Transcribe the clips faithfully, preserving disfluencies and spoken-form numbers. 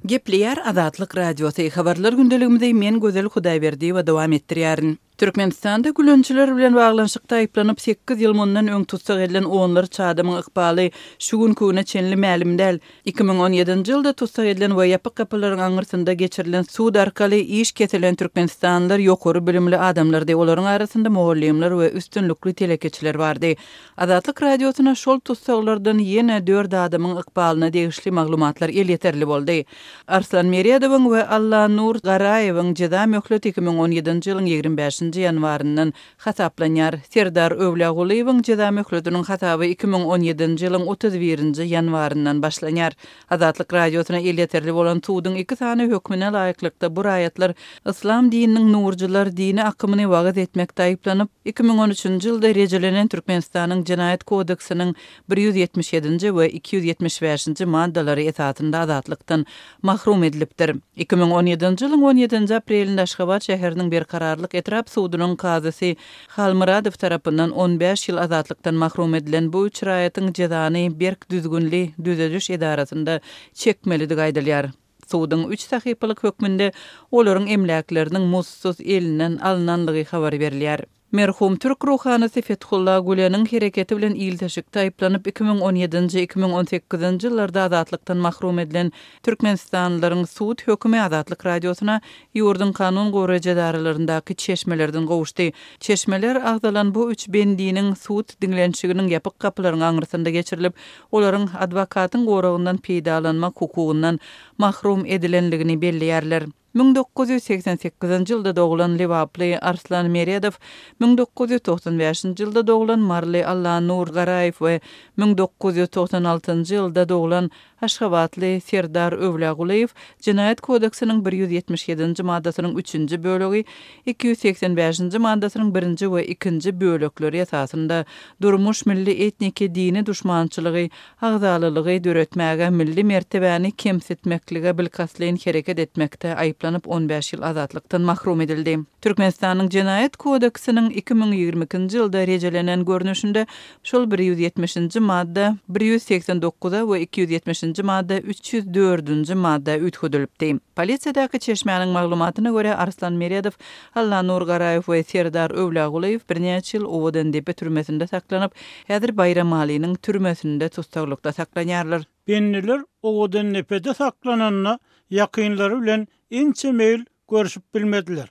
Gepleýär Azatlyk Radiosy, Habarlar gündeligimizi men Gözel Hudaýberdiýewa dowam etdirýärin. Türkmenistanda gülençiler bilen baglanyşykda aýyplanyp sekiz ýyl mundan öň tussag edilen onlarça adamyň ykbaly şu günki güne çenli mälim däl. Iki müň on ýedinji ýylda tussag edilen we ýapyk gapylaryň aňyrsynda geçirilen sud arkaly iş kesilen türkmenistanlylar ýokary bilimli adamlardy. Olaryň arasynda mugallymlar we üstünlikli telekeçiler bardy. Azatlyk Radiosyna şol tussaglardan ýene dört adamyň ykbalyna degişli maglumatlar elýeterli boldy. Arslan Meredowyň we Allanur Garaýewiň jeza möhleti iki müň on ýedinji ýylyň ýigrimi bäşinji ýanwaryndan hasaplanýar. Serdar Öwlâgulyýewiň jeza möhletiniň hasaby iki müň on ýedinji ýylyň otuz birinji ýanwaryndan başlanýar. Azatlyk Radiosyna elýeterli bolan suduň iki sany hökmüne laýyklykda bu raýatlar Islam dininiň nurcular dini akymyny wagyz etmekde aýyplanyp, iki müň on üçünji ýylda rejelenen Türkmenistanyň Jenaýat kodeksiniň bir ýüz ýetmiş ýedinji we iki ýüz ýetmiş bäşinji maddalary esasynda azatlykdan mahrum edilipdir. Iki müň on ýedinji ýylyň on ýedinji aprelinde Aşgabat şäheriniň Berkararlyk etrap sudunyň kazysy Halmyradow tarapyndan on bäş ýyl azatlykdan mahrum edilen bu üç raýatyň jezany berk düzgünli düzediş edarasynda çekmelidigi aýdylýar. Suduň üç sahypalyk hökmünde olaryň emläkleriniň mutsuz elinden alynanlygy habar berilýär. Merhum Türk ruhanysy Fethullah Güleniň hereketi bilen ilteşikde aýyplanyp iki müň on ýedinji, iki müň on sekizinji ýyllarda azatlykdan mahrum edilen Türkmenistanlylaryň sud hökümi Azatlyk Radiosyna ýurduň kanun goraýjy edaralaryndaky çeşmelerden gowuşdy. Çeşmeler agzalan bu üç bendiniň sud diňlenişiginiň ýapyk gapylaryň aňyrsynda geçirilip, olaryň adwokatyň goragyndan peýdalanmak hukugyndan mahrum edilenligini belleýärler. Müň dokuz ýüz seksen sekizinji ýylda doglan Lebaply Arslan Meredow, müň dokuz ýüz togsan bäşinji ýylda doglan Marly Allanur Garaýew we müň dokuz ýüz togsan altynjy ýylda doglan Aşgabatly Serdar Öwlâgulyýew Jenaýat kodeksiniň bir ýüz ýetmiş ýedinji maddasynyň üçünji bölegi, iki ýüz seksen bäşinji maddasynyň birinji we ikinji bölekleri esasynda durmuş milli etniki dini duşmançylygy, agzalylygy döretmäge, milli mertebäni kemsitmeklige bilkastlaýyn hereket etmekde aýyplanyp on bäş ýyl azatlykdan mahrum edildi. Türkmenistanyň Jenaýat kodeksiniň iki müň ýigrimi ikinji ýylda rejelenen görnüşinde şol bir ýüz ýetmişinji madda bir ýüz seksen dokuza we iki ýüz ýetmişinji madda üç ýüz dördünji madda üýtgedilipdi. Polisiýadaky çeşmäniň maglumatyna görä Arslan Meredow, Allanur Garaýew we Serdar Öwlâgulyýew birnäçe ýyl Owadandepe türmesinde saklanyp, häzir Baýramalynyň türmesinde tuttaglykda saklanýarlar. Bendiler Owadandepede saklananda ýakynlary bilen ençe meýil görüşip bilmediler.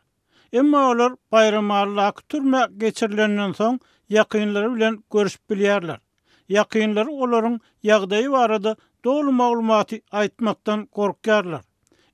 Emma olar Baýramalydaky türme geçirilenden soň ýakynlary bilen görüşip bilýärler. Ýakynlary olaryň ýagdaýy barada doly maglumaty aýtmakdan gorkýarlar.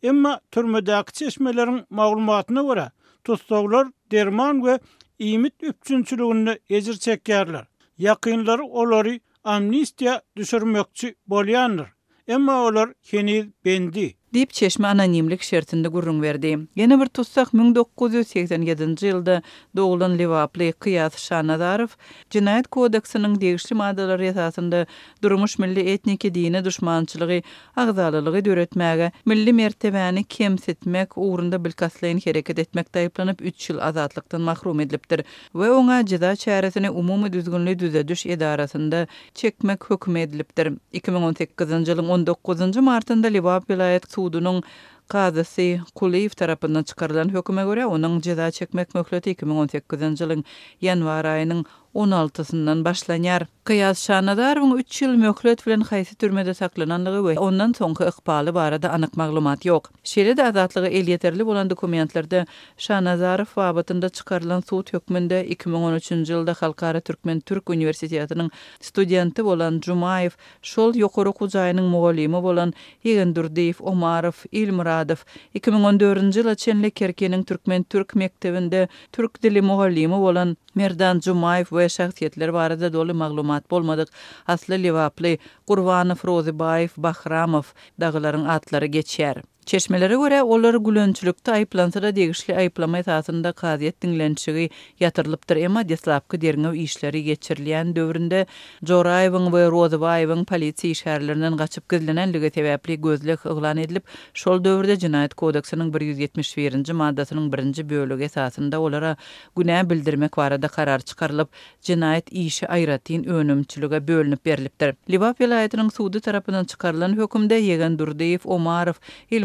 Emma türmedäki çeşmeleriň maglumatyna görä tussaglar derman we iýmit üpjünçiliginde ejir çekýärler. Ýakynlary olary amnistiýa düşürmekçi bolýandyr. Emma olar heniz bendi. Diýip çeşme anonimlik şertinde gürrüň berdi. Ýene bir tussag müň dokuz ýüz seksen ýedinji ýylda doglan Lebaply Kyýas Şanazarow Jenaýat kodeksiniň degişli maddalary esasynda durmuş milli etniki dini duşmançylygy, agzalylygy döretmäge, milli mertebäni kemsitmek ugrunda bilkastlaýyn hereket etmekde aýyplanyp üç ýyl azatlykdan mahrum edilipdir we oňa jeza çäresini umumy düzgünli düzediş edarasynda çekmek hökümi edilipdir. Iki müň on sekizinji ýylyň on dokuzynjy martynda Lebap welaýat sudunyň kazysy Kulyýew tarapyndan çykarylan höküme görä onuň jeza çekmek möhleti iki müň on sekizinji ýylyň ýanwar aýynyň on altysyndan başlanýar. Kyýas Şanazarowyň üç ýyl möhlet bilen haýsy türmede saklananlygy we ondan soňky ykbaly barada anyk maglumat ýok. Şeýle-de azatlyga elýeterli bolan dokumentlerde Şanazarow babatynda çykarylan sud hökmünde iki müň on üçünji ýylda Halkara Türkmen-Türk Universitetiniň studenti bolan Jumaýew, şol ýokary okuw jaýynyň mugallymy bolan Ýegendurdiýew, Omarow, Ilmuradow, iki müň on dördünji ýyla çenli Kerkiniň Türkmen-Türk mekdebinde türk dili mugallymy bolan Merdan Jumaýew we şahsyýetler barada doly maglumat bolmadyk asly Lebaply Gurbanow, Rozybaýew, Bahramow dagylaryň atlary geçýär. Çeşmelere görä olar gülençilikde aýyplansa-da degişli aýyplama esasynda kazyýet diňlenişigi ýatyrylypdyr. Emma deslapky derňew işleri geçirilýän döwründe Joraýewiň we Rozybaýewiň polisiýa işgärlerinden gaçyp gizlenenligi sebäpli gözleg yglan edilip, şol döwürde Jenaýat kodeksiniň bir ýüz ýetmiş birinji maddasynyň birinji bölegi esasynda olara günä bildirmek barada karar çykarylyp, jenaýat işi aýratyn önümçilige bölünip berilipdir. Lebap welaýatynyň sudy tarapyndan çykarylan hökümde Ýegendurdiýew, Omarow,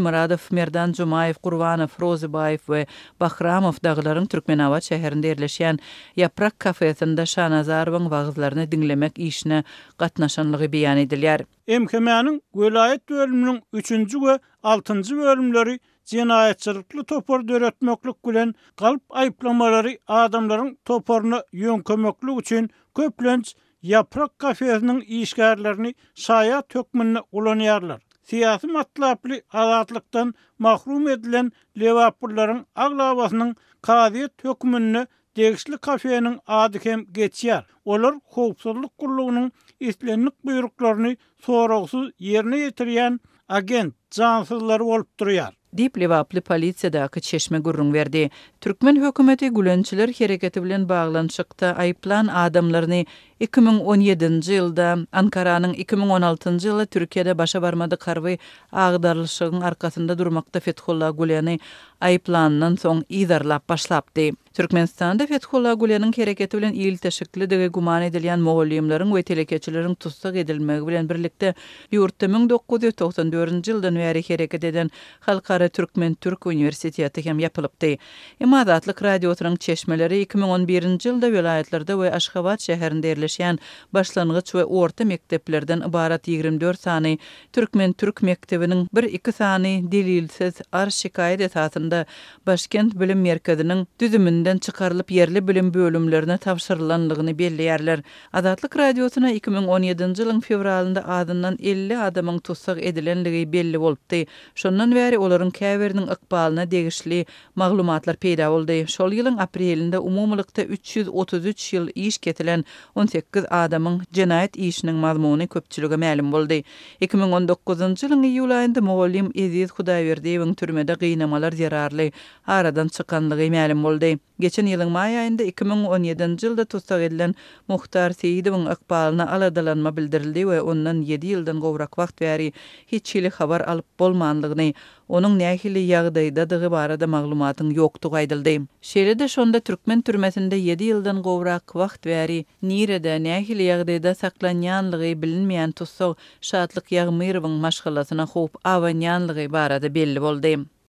Gulmyradow, Merdan Jumaýew, Gurbanow, Rozybaýew we Bahramow dagylaryň Türkmenabat şäherinde ýerleşýän Ýaprak kafesinde Şanazarowyň wagyzlaryny diňlemek işine gatnaşanlygy beýan edilýär. M H M-niň welaýat bölüminiň üçünji we altynjy bölümleri jenaýatçylykly topar döretmeklik bilen galp aýyplamalary adamlaryň toparyna ýöňkemeklik üçin köplenç Ýaprak kafesiniň işgärlerini şaýat hökmünde ulanýarlar. Syýasy matlaply azatlykdan mahrum edilen Lebaplylaryň aglabasynyň kazyýet hökmünde degişli kafeniň ady hem geçýär. Olar howpsuzlyk gullugynyň islendik buýruklaryny soragsyz ýerine ýetirýän agent jansyzlary bolup durýar. Diýip Lebaply polisiýadaky çeşme gürrüň berdi. Türkmen hökümeti Gülençiler hereketi bilen baglanyşykda aýyplan adamlaryny iki müň on ýedinji ýylda Ankaranyň iki müň on altynjy ýylda Türkiýede başa barmadyk harby agdarlyşygyň arkasynda durmakda Fethullah Güleni aýyplandan soň yzarlap başlapdy. Türkmenistanda Fethullah Güleniň hereketi bilen ilteşiklidigi güman edilýän mugallymlaryň we telekeçileriň tussag edilmegi bilen birlikde ýurtda müň dokuz ýüz togsan dördünji ýyldan bäri hereket eden Halkara Türkmen-Türk uniwersiteti hem ýapylypdy. Emma Azatlyk radiosynyň çeşmeleri iki müň on birinji ýylda welaýatlarda we Aşgabat şäherinde ýerleşýän başlangyç we orta mekdeplerden ybarat ýigrimi dört sany Türkmen-Türk mekdebiniň bir iki sany delilsiz arz şikaýat esasynda Başkent Bilim Merkeziniň düzüminden çykarylyp ýerli bilim bölümlerine tabşyrylanlygyny belleýärler. Azatlyk radiosyna iki müň on ýedinji ýylyň fewralynda azyndan elli adamyň tussag edilenligi belli bolupdy. Şondan bäri olaryň käbiriniň ykbalyna degişli maglumatlar peýda boldy. Şol ýylyň aprelinde umumylykda üç ýüz otuz üç ýyl iş kesilen on sekiz adamyň jenaýat işiniň mazmuny köpçülige mälim boldy. Iki müň on dokuzynjy ýylyň iýul aýynda mugallym Eziz Hudaýberdiýewiň türmede gynamalar zerarly aradan çykanlygy mälim boldy. Geçen ýylyň maý aýynda iki müň on ýedinji ýylda tussag edilen Muhtar Seýidowyň ykbalyna aladalanma bildirildi we ondan ýedi ýyldan gowrak wagt bäri hiç hili habar alyp bolmanlygyny, onuň nähili ýagdaýdadygy barada maglumatyň ýokdugy aýdyldy. Şeýle-de şonda türkmen türmesinde ýedi ýyldan gowrak wagt bäri nirede nähili ýagdaýda saklanýanlygy bilinmeýän tussag Şatlyk Ýagmyrowyň maşgalasyna howp abanýanlygy barada belli boldy.